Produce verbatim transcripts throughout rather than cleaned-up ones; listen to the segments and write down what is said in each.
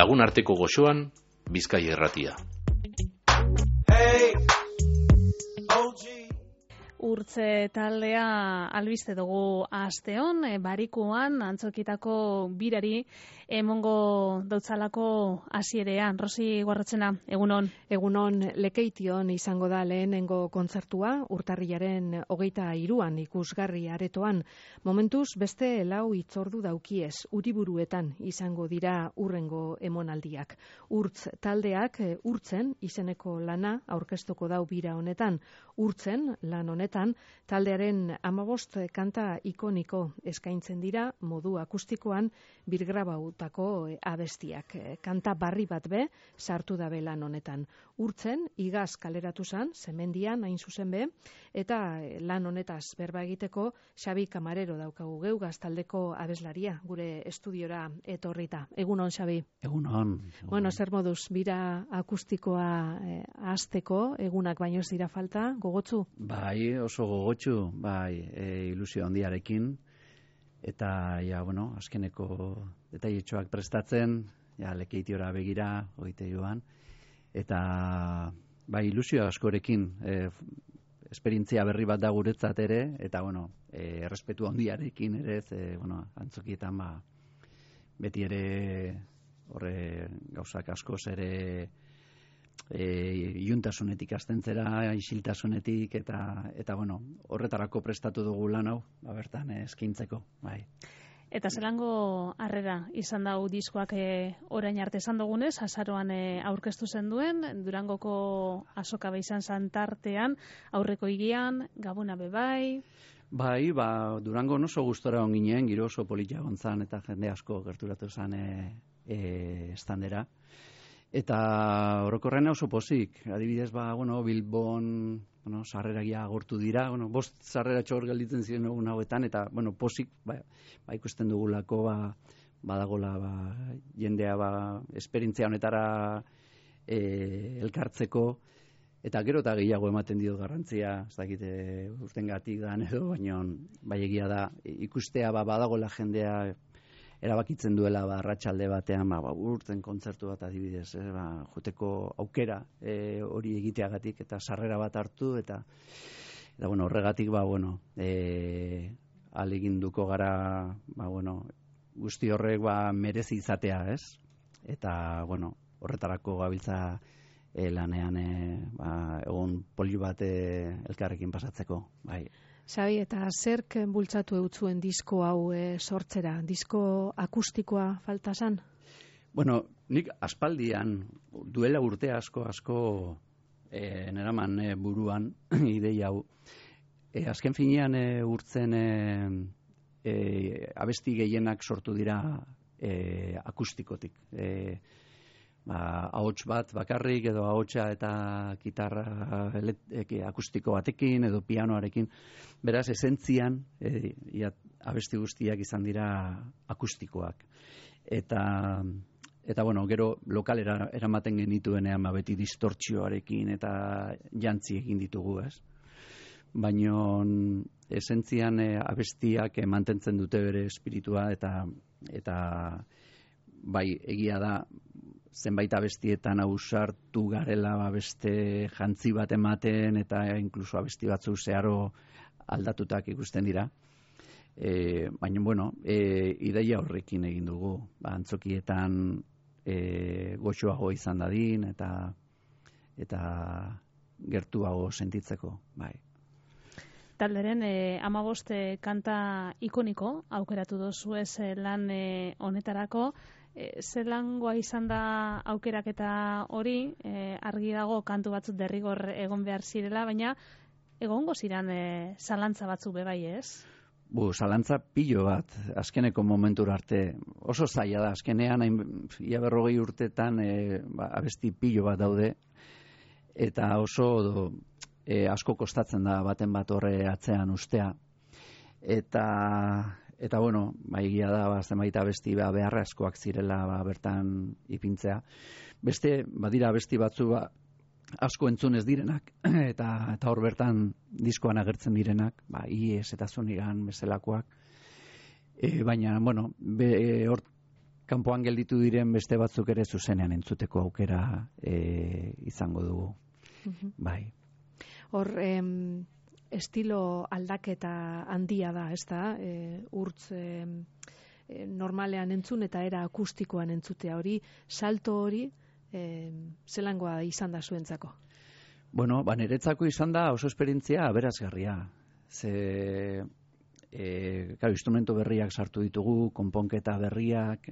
Lagun arteko goxoan, Bizkaia Irratia. Urtze taldea albiste dugu asteon, e, barikuan antzokitako birari emongo dautzalako hasierean. Rosi Guarrotzena, egunon. Egunon, Lekeition izango da lehenengo kontzertua, urtarrilaren hogeita hiruan ikusgarri aretoan. Momentuz beste lau hitzordu daukiez, Uriburuetan izango dira urrengo emonaldiak. Urtz taldeak e, urtzen izeneko lana aurkeztuko dau bira honetan. Urtzen lan honetan taldearen hamabost kanta ikoniko eskaintzen dira modu akustikoan birgrabautako abestiak. Kanta barri bat be sartu dabe lan honetan. Urtzen igaz kaleratu zan, Zemendian hain zuzen be, eta lan honetaz berba egiteko Xabi Kamarero daukagu geugaz taldeko abeslaria gure estudiora etorrita. Egunon, Xabi. Egunon. Bueno, zer moduz, bira akustikoa eh, hasteko egunak baino ez dira falta, gogotzu? Bai, oso gogotsu, bai, e, ilusio handiarekin, eta, ja, bueno, azkeneko detailetxoak prestatzen, ja, Lekeitiora begira, hogeita joan, eta, bai, ilusio askorekin, e, esperientzia berri bat da guretzat ere, eta, bueno, e, errespetu handiarekin ere, e, bueno, antzokietan, ba, beti ere, horre, gauzak askoz ere, E, iuntasunetik astentzera, isiltasunetik eta eta bueno, horretarako prestatu dugu lan hau, ba bertan eskaintzeko, bai. Eta zelango harrera izan dau diskoak e, orain arte esan dugunez, azaroan e, aurkeztu zen duen, Durangoko azoka izan santartean, aurreko higian, Gabona bebai. Bai, ba, Durango oso gustora on ginen, giro oso polita gontzan eta jende asko gerturatu zen e, e, estandera. Eta orokorren oso pozik, adibidez, ba, bueno, Bilbon, bueno, sarreragia agortu dira, bueno, bost sarrera txor gelditzen ziren egun hauetan, eta, bueno, pozik, ba, ba ikusten dugulako, ba, badagola, ba, jendea, ba, esperientzia honetara e, elkartzeko, eta gero eta gehiago ematen dio garrantzia, ez dakite, urtengatik da edo, baina, bai egia da, ikustea, ba, badagola jendea, erabakitzen duela ba, arratsalde batean ba, ba, urten kontzertu bat adibidez, eh, ba, joteko aukera e, hori egiteagatik eta sarrera bat hartu eta eta bueno, horregatik ba bueno, e, ahaleginduko gara ba bueno, guzti horrek ba merezi izatea, ez? Eta bueno, horretarako gabiltza e, lanean e, ba, egun poli bat e, elkarrekin pasatzeko, bai. Xabi, eta zerk bultzatu eutzuen disko hau e, sortzera? Disko akustikoa falta zan? Bueno, nik aspaldian, duela urte asko, asko e, neraman e, buruan ideia hau. E, azken finean e, urtzen e, e, abesti gehienak sortu dira e, akustikotik. E, ba, ahots bat bakarrik edo ahotsa eta gitarra e, akustiko batekin edo pianoarekin. Beraz, esentzian, e, ia, abesti guztiak izan dira akustikoak. Eta, eta bueno, gero lokalera eramaten genituenean ba, beti distortzioarekin eta jantzi egin ditugu, ez? Baina esentzian e, abestiak e, mantentzen dute bere espiritua eta, eta bai, egia da, zenbait abestietan ausartu garela ba, beste jantzi bat ematen eta inkluso abesti batzu zeharo aldatutak ikusten dira. E, baina, bueno, e, ideia horrekin egin dugu. Ba, antzokietan e, goxoago izan dadin eta eta gertuago sentitzeko, bai. Talderen eh, amabost eh, kanta ikoniko aukeratu dozu ez eh, lan eh, honetarako. E, zelangoa izan da aukeraketa hori, e, argi dago kantu batzuk derrigor egon behar zirela, baina egongo ziren e, zalantza batzuk bebai, ez? Bu, zalantza pilo bat, azkeneko momentura arte, oso zaila da, azkenean, ia berrogei urtetan, e, ba, abesti pilo bat daude, eta oso do, e, asko kostatzen da baten bat horre atzean ustea, eta... Eta, bueno, ba, egia da, ba, zenbait abesti ba, beharrezkoak zirela ba, bertan ipintzea. Beste, badira abesti batzu ba, asko entzun ez direnak, eta eta hor bertan diskoan agertzen direnak, ba, Ies eta Zunigan bezalakoak. E, baina, bueno, be, hor kanpoan gelditu diren beste batzuk ere zuzenean entzuteko aukera e, izango dugu. Mhm. Bai. Hor, em, estilo aldaketa handia da, ez da? E, urtz em, e, normalean entzun eta era akustikoan entzutea hori, salto hori, em, zelangoa izan da zuentzako? Bueno, ba, niretzako izan da oso esperientzia aberazgarria. Ze, e, claro, instrumento berriak sartu ditugu, konponketa berriak,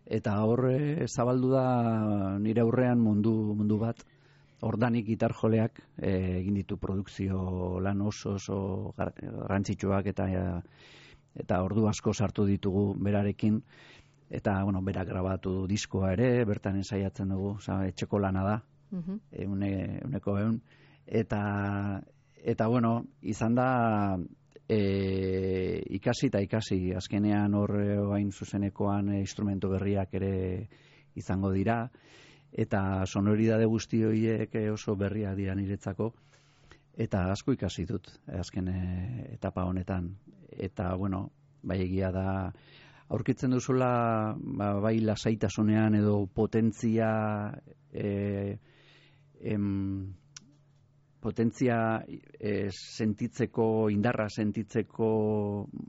eta hor e, zabaldu da nire aurrean mundu, mundu bat. Ordanik gitar joleak e, egin ditu produkzio lan oso oso garrantzitsuak eta eta ordu asko sartu ditugu berarekin, eta bueno, berak grabatu diskoa ere, bertan ensaiatzen dugu, oza, etxeko lana da. Mhm. Eune, euneko eun, eta eta bueno, izan da e, ikasi eta ikasi, azkenean hor hain zuzenekoan e, instrumento berriak ere izango dira, eta sonoridade guzti horiek oso berriak dira niretzako, eta asko ikasi dut azken e, etapa honetan, eta bueno, bai egia da aurkitzen duzula ba, bai lasaitasunean edo potentzia e, em, potentzia e, sentitzeko, indarra sentitzeko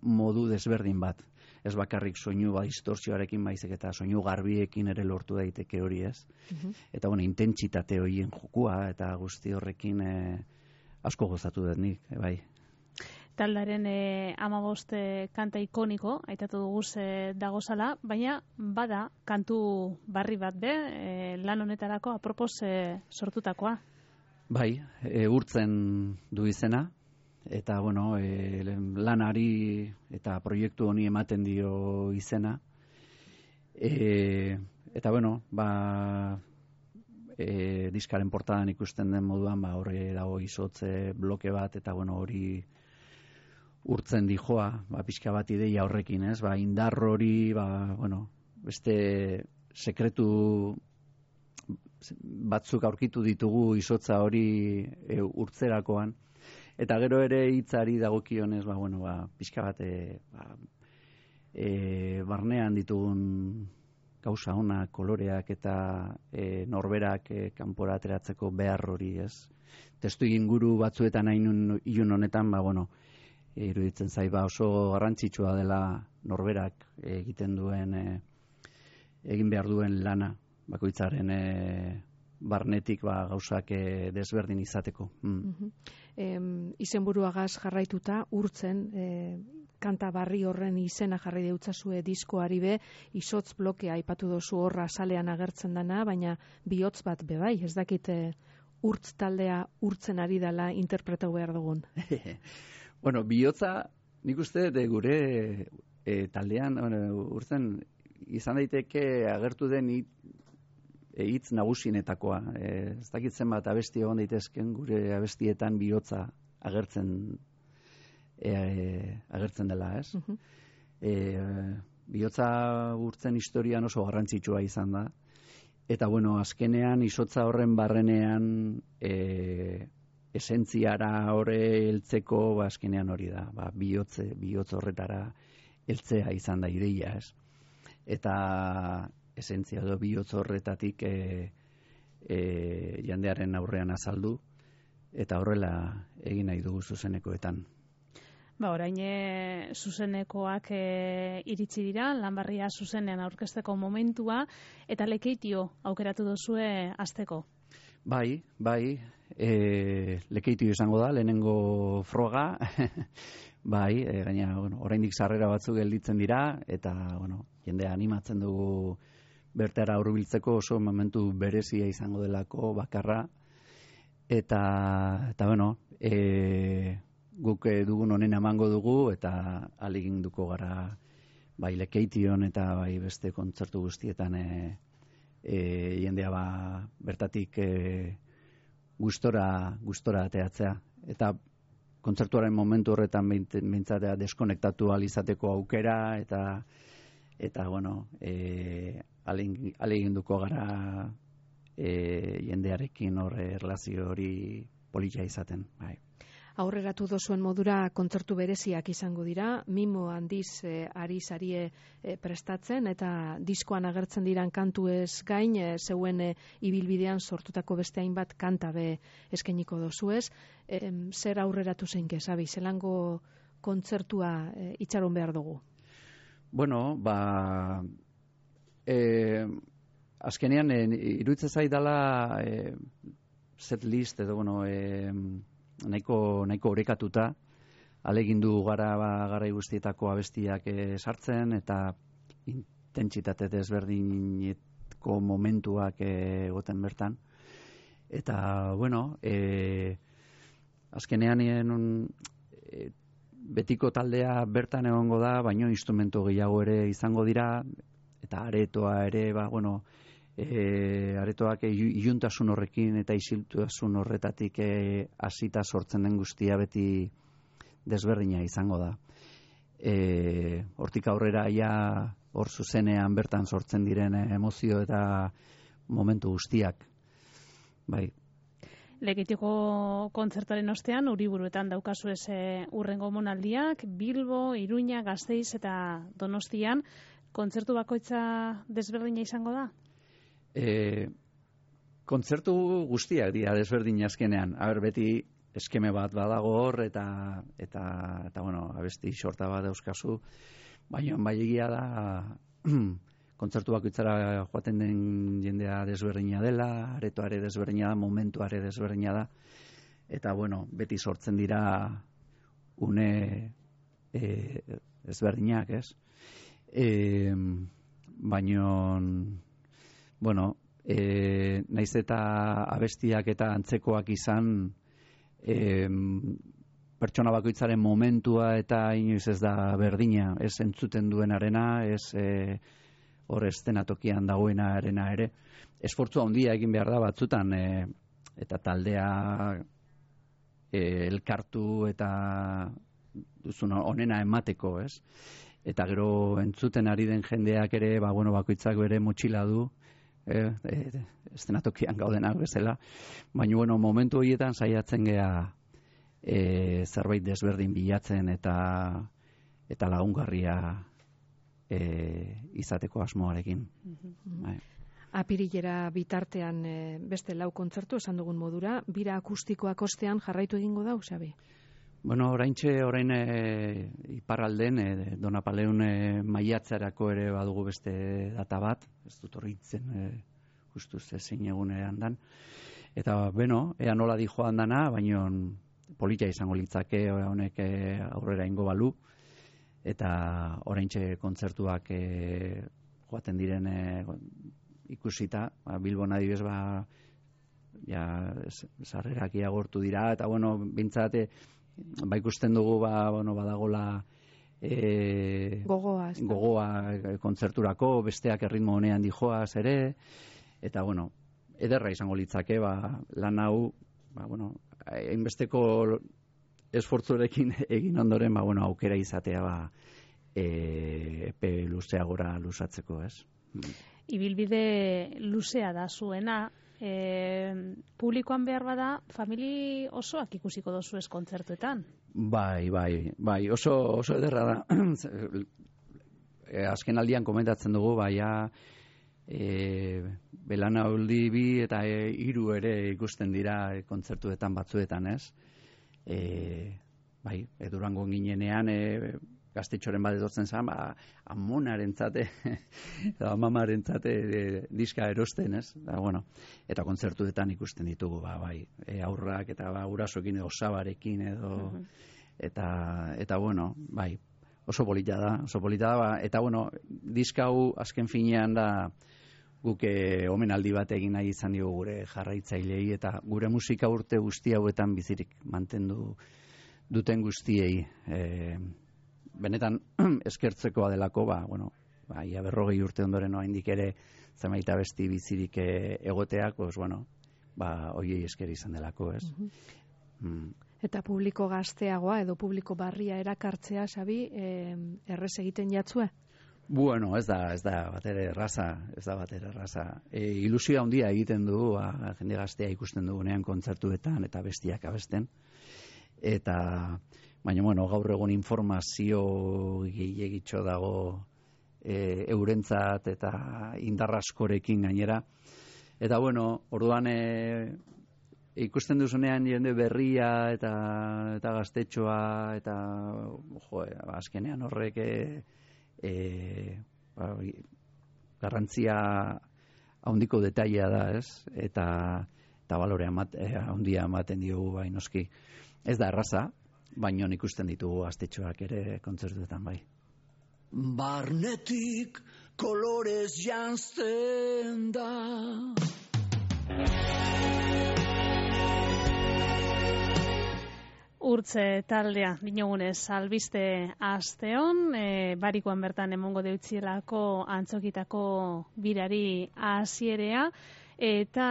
modu desberdin bat. Ez bakarrik soinu ba, distorsioarekin baizik eta soinu garbiekin ere lortu daiteke hori, ez? Mhm. Eta bueno, intentsitate horien jokua eta guzti horrekin e, asko gozatu dut nik, e, bai. Taldaren e, amabost e, kanta ikoniko, aitatu dugu ze dagozala, baina bada kantu barri bat be, e, lan honetarako apropos e, sortutakoa. Bai, e, urtzen du izena, eta bueno, e, lanari eta proiektu honi ematen dio izena. E, eta bueno, ba, e, diskaren portadan ikusten den moduan, ba, horre dago izotze bloke bat, eta bueno, hori urtzen dijoa, ba, pixka bat ideia horrekin, ez? Ba, indar hori, ba, bueno, beste sekretu batzuk aurkitu ditugu izotza hori e, urtzerakoan, eta gero ere hitzari dagokionez, ba, bueno, ba, pixka bat e, ba, e, barnean ditugun gauza ona, koloreak eta e, norberak e, kanpora ateratzeko behar hori, ez? Testu inguru batzuetan hain ilun honetan, ba, bueno, e, iruditzen zait, ba, oso garrantzitsua dela norberak egiten duen, e, egin behar duen lana, bakoitzaren e, barnetik ba, gauzak e, desberdin izateko. Mm. Mhm. Em, izenburuagaz jarraituta urtzen e, kanta barri horren izena jarri deutzazue diskoari be, izotz blokea aipatu dozu horra salean agertzen dana, baina bihotz bat be bai, ez dakit e, urtz taldea urtzen ari dela interpretau behar dugun. Bueno, bihotza nik uste de gure e, taldean bueno, urtzen izan daiteke agertu den hit, e, hitz nagusienetakoa. E, ez dakit zenbat abesti egon daitezken gure abestietan bihotza agertzen e, e, agertzen dela, ez? Mhm. E, bihotza urtzen historian oso garrantzitsua izan da. Eta bueno, azkenean izotza horren barrenean e, esentziara hore heltzeko, ba, azkenean hori da, ba, bihotze, bihotz horretara heltzea izan da ideia, ez? Eta esentzia edo bihotz horretatik e, e, jandearen aurrean azaldu, eta horrela egin nahi dugu zuzenekoetan. Ba, orain e, zuzenekoak e, iritsi dira, lanbarria zuzenean aurkezteko momentua, eta lekeitio aukeratu duzue hasteko. Bai, bai, e, lekeitio izango da, lehenengo froga, bai, e, gaina, bueno, oraindik sarrera batzuk gelditzen dira, eta, bueno, jendea animatzen dugu bertara hurbiltzeko, oso momentu berezia izango delako bakarra, eta, eta bueno, e, guk dugun honen emango dugu, eta ahaleginduko gara bai lekeition eta bai beste kontzertu guztietan e, e, jendea ba, bertatik e, gustora, gustora ateatzea. Eta kontzertuaren momentu horretan beintzatea deskonektatu ahal izateko aukera, eta eta bueno, e, ahaleginduko gara e, jendearekin hor erlazio hori polita izaten, bai. aurreratu dozuen modura kontzertu bereziak izango dira, mimo handiz e, ari zarie e, prestatzen, eta diskoan agertzen diran kantu ez gain, e, zeuen e, ibilbidean sortutako beste hainbat kanta be eskainiko dozuez. E, zer aurreratu zeinke, Sabi, zelango kontzertua e, itxaron behar dugu? Bueno, ba... E, azkenean, e, iruditzen zaidala e, set list edo, bueno, e, nahiko, nahiko orekatuta, alegindu gara ba, garai guztietako abestiak e, sartzen, eta intentsitate desberdinetko momentuak egoten bertan. Eta, bueno, e, azkenean e, betiko taldea bertan egongo da, baino instrumento gehiago ere izango dira, eta aretoa ere, ba, bueno, e, aretoak iluntasun horrekin eta isiltasun horretatik hasita e, sortzen den guztia beti desberdina izango da. E, hortik aurrera ja hor zuzenean bertan sortzen diren emozio eta momentu guztiak. Bai. Lekeitiko kontzertaren ostean, Uriburuetan daukazu ez urrengo monaldiak, Bilbo, Iruña, Gasteiz eta Donostian, kontzertu bakoitza desberdina izango da? E, kontzertu guztiak dira desberdina azkenean. Aber, beti eskeme bat badago hor, eta, eta, eta bueno, abesti sorta bat euskazu, baina bai egia da, kontzertu bakoitzara joaten den jendea desberdina dela, aretoare desberdina da, momentuare desberdina da, eta bueno, beti sortzen dira une e, ezberdinak, ez? E, baino, bueno, e, naiz eta abestiak eta antzekoak izan, e, pertsona bakoitzaren momentua eta inoiz ez da berdina, ez entzuten duenarena, ez e, hor eszenatokian dagoena arena ere. Esfortzu handia egin behar da batzutan, e, eta taldea e, elkartu eta duzun onena emateko, ez? Eta gero entzuten ari den jendeak ere, ba, bueno, bakoitzak bere motxila du, e, e, eszenatokian gaudenak bezala, baina bueno, momentu horietan saiatzen gea e, zerbait desberdin bilatzen eta eta lagungarria e, izateko asmoarekin. Mm-hmm. Bai. Apirilera bitartean e, beste lau kontzertu esan dugun modura, bira akustikoak ostean jarraitu egingo da, Xabi? Bueno, oraintxe orain e, iparralden e, Donapaleun e, maiatzarako ere badugu beste data bat, ez dut horritzen e, justuz ezin egunean dan. Eta, beno, ea nola di joan dana, baina polita izango litzake honek e, aurrera ingo balu, eta oraintxe kontzertuak e, joaten diren e, ikusita, ba, Bilbon adibez, ba, ja, sarrerak iagortu dira, eta, bueno, bintzate, ba ikusten dugu ba, bueno, badagola e, gogoa, gogoa kontzerturako, besteak erritmo honean dijoaz ere, eta bueno, ederra izango litzake, ba, lan hau, ba, bueno, hainbesteko esfortzurekin egin ondoren, ba, bueno, aukera izatea, ba, e, epe luzeagora luzatzeko, ez? Ibilbide luzea da zuena, E, publikoan behar bada, famili osoak ikusiko dozu ez kontzertuetan? Bai, bai, bai, oso, oso ederra da. e, azken aldian komentatzen dugu, baia e, belaunaldi bi eta e, hiru ere ikusten dira e, kontzertuetan batzuetan, ez? E, bai, e, Durangon ginenean, e, Gaztetxoren bat etortzen zen, ba, amonaren zate, amamaren zate e, diska erosten, ez? Da, bueno, eta kontzertuetan ikusten ditugu, ba, bai, e, aurrak eta ba, gurasoekin edo osabarekin edo, uh-huh. eta, eta, bueno, bai, oso polita da, oso polita da, ba, eta, bueno, diska hau azken finean da guk e, omenaldi bat egin nahi izan dio gure jarraitzailei, eta gure musika urte guzti hauetan bizirik mantendu duten guztiei, e, benetan eskertzekoa delako, ba, bueno, ba, ia berrogei urte ondoren oraindik ere zenbait abesti bizirik egoteak, pues, bueno, ba, hoiei esker izan delako, ez? Uh-huh. mm. Eta publiko gazteagoa edo publiko barria erakartzea, Xabi, eh, errez egiten jatzue? Bueno, ez da, ez da batere erraza, ez da batere erraza. E, ilusioa handia egiten du, ba, jende gaztea ikusten dugunean kontzertuetan eta bestiak abesten. eta baina, bueno, gaur egun informazio gehiagitxo dago e, eurentzat eta indarraskorekin gainera. Eta, bueno, orduan e, ikusten duzunean jende berria eta, eta gaztetxoa eta jo, azkenean horrek e, e, ba, garrantzia handiko detailea da, ez? Eta, eta balore handia ematen diogu bai noski. Ez da erraza, baino ikusten ditugu gaztetxoak ere kontzertuetan bai. Barnetik kolorez janzten da. Urtze taldea, dinogunez, albiste asteon, e, barikoan bertan emongo deutzielako antzokitako birari hasierea, eta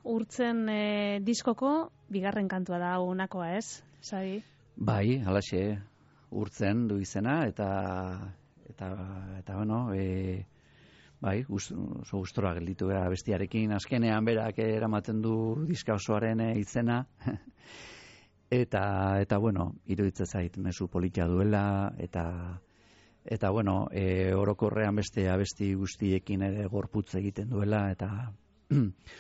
urtzen e, diskoko bigarren kantua da unakoa, ez? Sabi? Bai, halaxe, urtzen du izena, eta, eta, eta bueno, e, bai, oso gustora gelditu gara bestiarekin, azkenean berak eramaten du diska osoaren e, izena, eta, eta bueno, iruditzen zait mezu politia duela, eta, eta bueno, e, orokorrean beste abesti guztiekin ere gorputz egiten duela, eta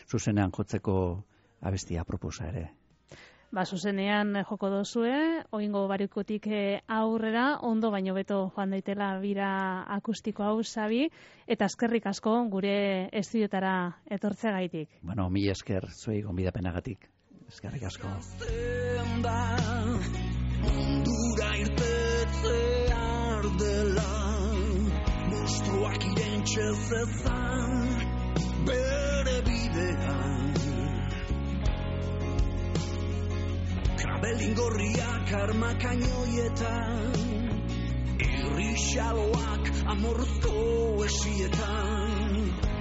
zuzenean jotzeko abestia proposa ere. Ba, zuzenean joko dozue, oingo barikotik aurrera, ondo baino beto joan daitela bira akustiko hau, Sabi, eta eskerrik asko gure estudiotara etortzegaitik. Bueno, mi esker zuei gonbidapenagatik. Eskerrik asko. Mundura irtetzear dela, monstruak irentxe zezan, bere bidean. Krabelingorriak armakainoietan, irrixaloak amorruzko esietan,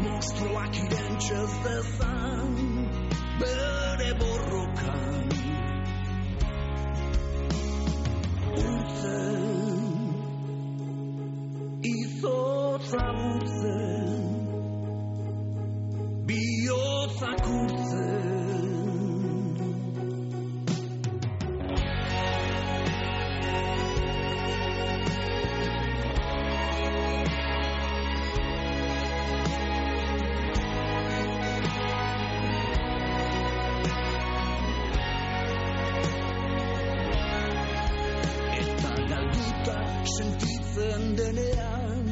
monstruak irentxe zezan, bere borrokan. Urtzen, izotza urtzen, bihotzak urtzen. Sentitzen denean,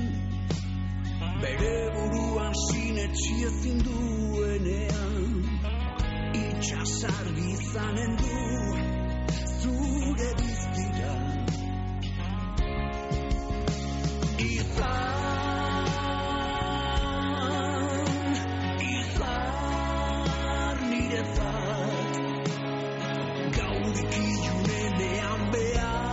bere buruan sinetsi ezin duenean, itxasargi izanen du zure biztira. Izan, izan niretzat, gaudik ilunenean behar.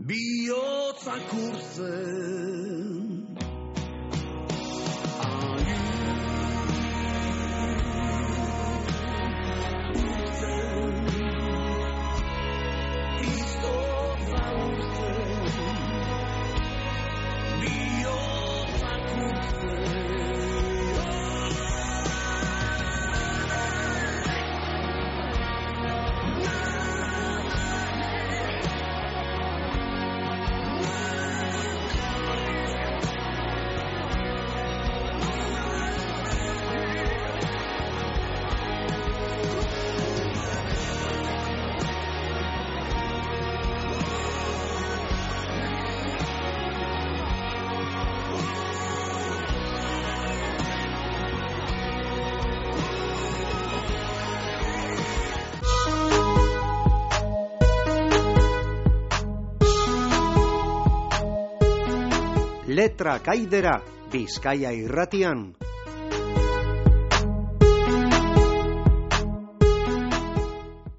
Bihotzak urtzen. Letra kaidera, Bizkaia irratian.